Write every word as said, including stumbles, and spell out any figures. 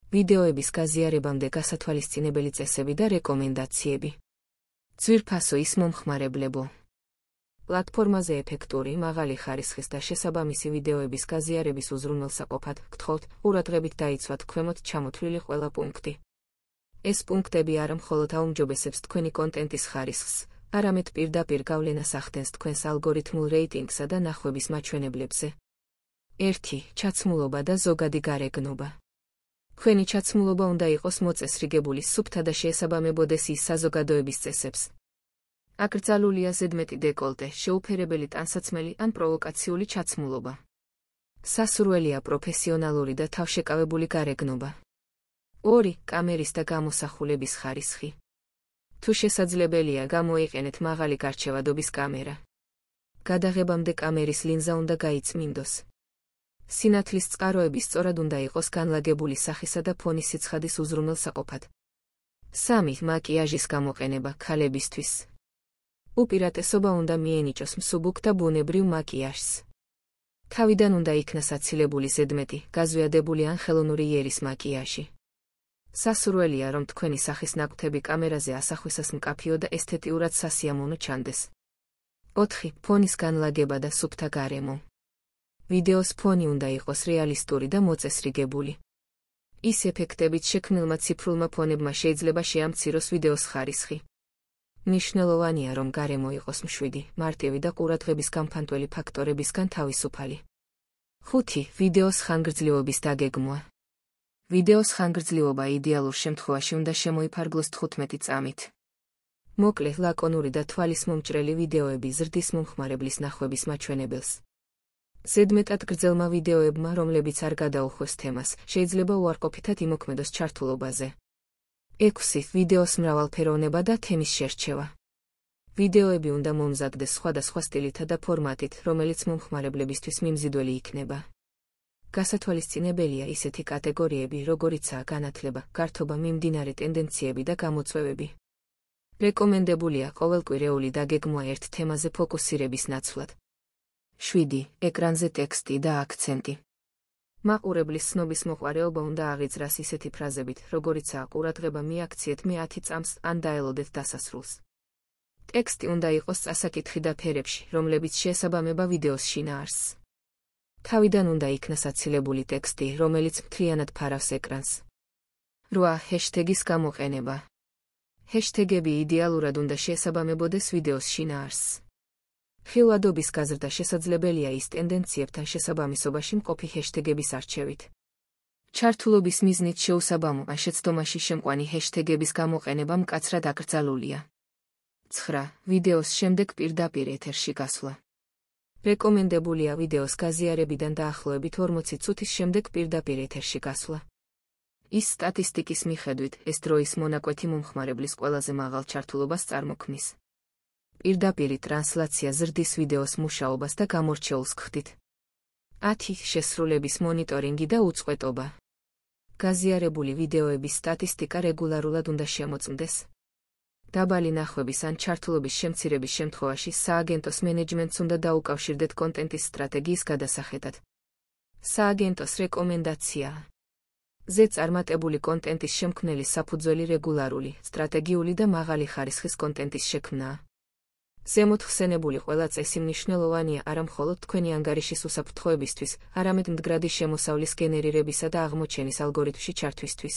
ვიდეოების გაზიარებამდე გასათვალისწინებელი წესები და რეკომენდაციები. ძვირფასო ის მომხმარებლებო. პლატფორმაზე ეფექტური, მაღალი ხარისხის და შესაბამისი ვიდეოების გაზიარების უზრუნველსაყოფად გთხოვთ, ყურადღებით დაიცვათ ქვემოთ ჩამოთვლილი ყველა პუნქტი. ეს პუნქტები არა მხოლოდ აუმჯობესებს თქვენი კონტენტის ხარისხს, არამედ პირდაპირ გავლენას ახდენს თქვენს ალგორითმულ რეიტინგსა და ნახვების მაჩვენებლებზე. ერთი. ჩაცმულობა და ზოგადი გარეგნობა. თქვენი ჩაცმულობა უნდა იყოს მოწესრიგებული, სუფთა და შეესაბამებოდეს ის საზოგადოების წესებს. აკრძალულია ზედმეტი დეკოლტე, შეუფერებელი ტანსაცმელი ან პროვოკაციული ჩაცმულობა. სასურველია პროფესიონალური და თავშეკავებული გარეგნობა. ორი. კამერის და გამოსახულების ხარისხი. თუ შესაძლებელია, გამოიყენეთ მაღალი გარჩევადობის კამერა. გადაღებამდე კამერის ლინზა უნდა გაიწმინდოს. სინათლის წყაროები სწორად უნდა იყოს განლაგებული სახისა და ფონის სიცხადის უზრუნველსაყოფად. სამი. მაკიაჟის გამოყენება ქალებისთვის. უპირატესობა უნდა მიენიჭოს მსუბუქ და ბუნებრივ მაკიაჟს. თავიდან უნდა იქნას აცილებული ზედმეტი, გაზვიადებული ან ხელოვნური იერის მაკიაჟი. სასურველია, რომ თქვენი სახის ნაკვთები კამერაზე ასახვისას მკაფიო და ესთეტიურად სასიამოვნო ჩანდეს. ოთხი. ფონის განლაგება და სუფთა გარემო. ვიდეოს ფონი უნდა იყოს რეალისტური და მოწესრიგებული. ის ეფექტებით შექმნილმა ციფრულმა ფონებმა შეიძლება შეამციროს ვიდეოს ხარისხი. მნიშვნელოვანია, რომ გარემო იყოს მშვიდი, მარტივი და ყურადღების გამფანტველი ფაქტორებისგან თავისუფალი. ხუთი. ვიდეოს ხანგრძლივობის დაგეგმვა. ვიდეოს ხანგრძლივობა იდეალურ შემთხვევაში უნდა შემოიფარგლოს თხუთმეტი წამით. მოკლე, ლაკონური და თვალის მომჭრელი ვიდეოები ზრდის მომხმარებლის ნახვების მაჩვენებელს. ზედმეტად გრძელმა ვიდეოებმა, რომლებიც არ გადაუხვეს თემას, შეიძლება უარყოფითად იმოქმედოს ჩართულობაზე. ექვსი. ვიდეოს მრავალფეროვნება და თემის შერჩევა. ვიდეოები უნდა მომზადდეს სხვადასხვა სტილითა და ფორმატით, რომელიც მომხმარებლებისთვის მიმზიდველი იქნება. გასათვალისწინებელია ისეთი კატეგორიები, როგორიცაა განათლება, გართობა, მიმდინარე ტენდენციები და გამოწვევები. რეკომენდებულია ყოველკვირეული დაგეგმვა ერთ თემაზე ფოკუსირების ნაცვლად. შვიდი. ეკრანზე ტექსტი და აქცენტი. მაყურებლის ცნობის მოყვარეობა უნდა აღიძრას ისეთი ფრაზებით, როგორიცაა ყურადღება მიაქციეთ მე ათი წამს ან დაელოდეთ დასასრულს. ტექსტი უნდა იყოს წასაკითხი და ფერებში, რომლებიც შეესაბამება ვიდეოს შინაარსს. თავიდან უნდა იქნას აცილებული ტექსტი, რომელიც მთლიანად ფარავს ეკრანს. რვა. ჰეშტეგის გამოყენება. ჰეშტეგები იდეალურად უნდა შეესაბამებოდეს ვიდეოს შინაარსს. ხილვადობის გაზრდა შესაძლებელია ის ტენდენციებთან შესაბამისობაში მყოფი ჰეშტეგების არჩევით. ჩართულობის მიზნით შეუსაბამო ან შეცდომაში შემყვანი ჰეშტეგების გამოყენება მკაცრად აკრძალულია. ცხრა. ვიდეოს შემდეგ პირდაპირ ეთერში გასვლა. რეკომენდებულია ვიდეოს გაზიარებიდან დაახლოებით ორმოცი წუთის შემდეგ პირდაპირ ეთერში გასვლა. ის სტატისტიკის მიხედვით, ეს დროის მონაკვეთი მომხმარებლის ყველაზე მაღალ ჩართულობას წარმოქმნის. პირდაპირი ტრანსლაცია ზრდის ვიდეოს მუშაობას და გამორჩეულს გხდით. ათი. შესრულების მონიტორინგი და უწყვეტობა. გაზიარებული ვიდეოების სტატისტიკა რეგულარულად უნდა შემოწმდეს. დაბალი ნახვების ან ჩართულობის შემცირების შემთხვევაში სააგენტოს მენეჯმენტს უნდა დაუკავშირდეთ კონტენტის სტრატეგიის გადასახედად. სააგენტოს რეკომენდაცია. ზე წარმატებული კონტენტის შემქმნელი საფუძველი რეგულარული, სტრატეგიული და მაღალი ხარისხის კონტენტის შექმნაა. ზემოთ ხსენებული ყველა წესი მნიშვნელოვანია არა მხოლოდ თქვენი ანგარიშის უსაფრთხოებისთვის, არამედ მდგრადი შემოსავლის გენერირებისა და აღმოჩენის ალგორითმში ჩართვისთვის.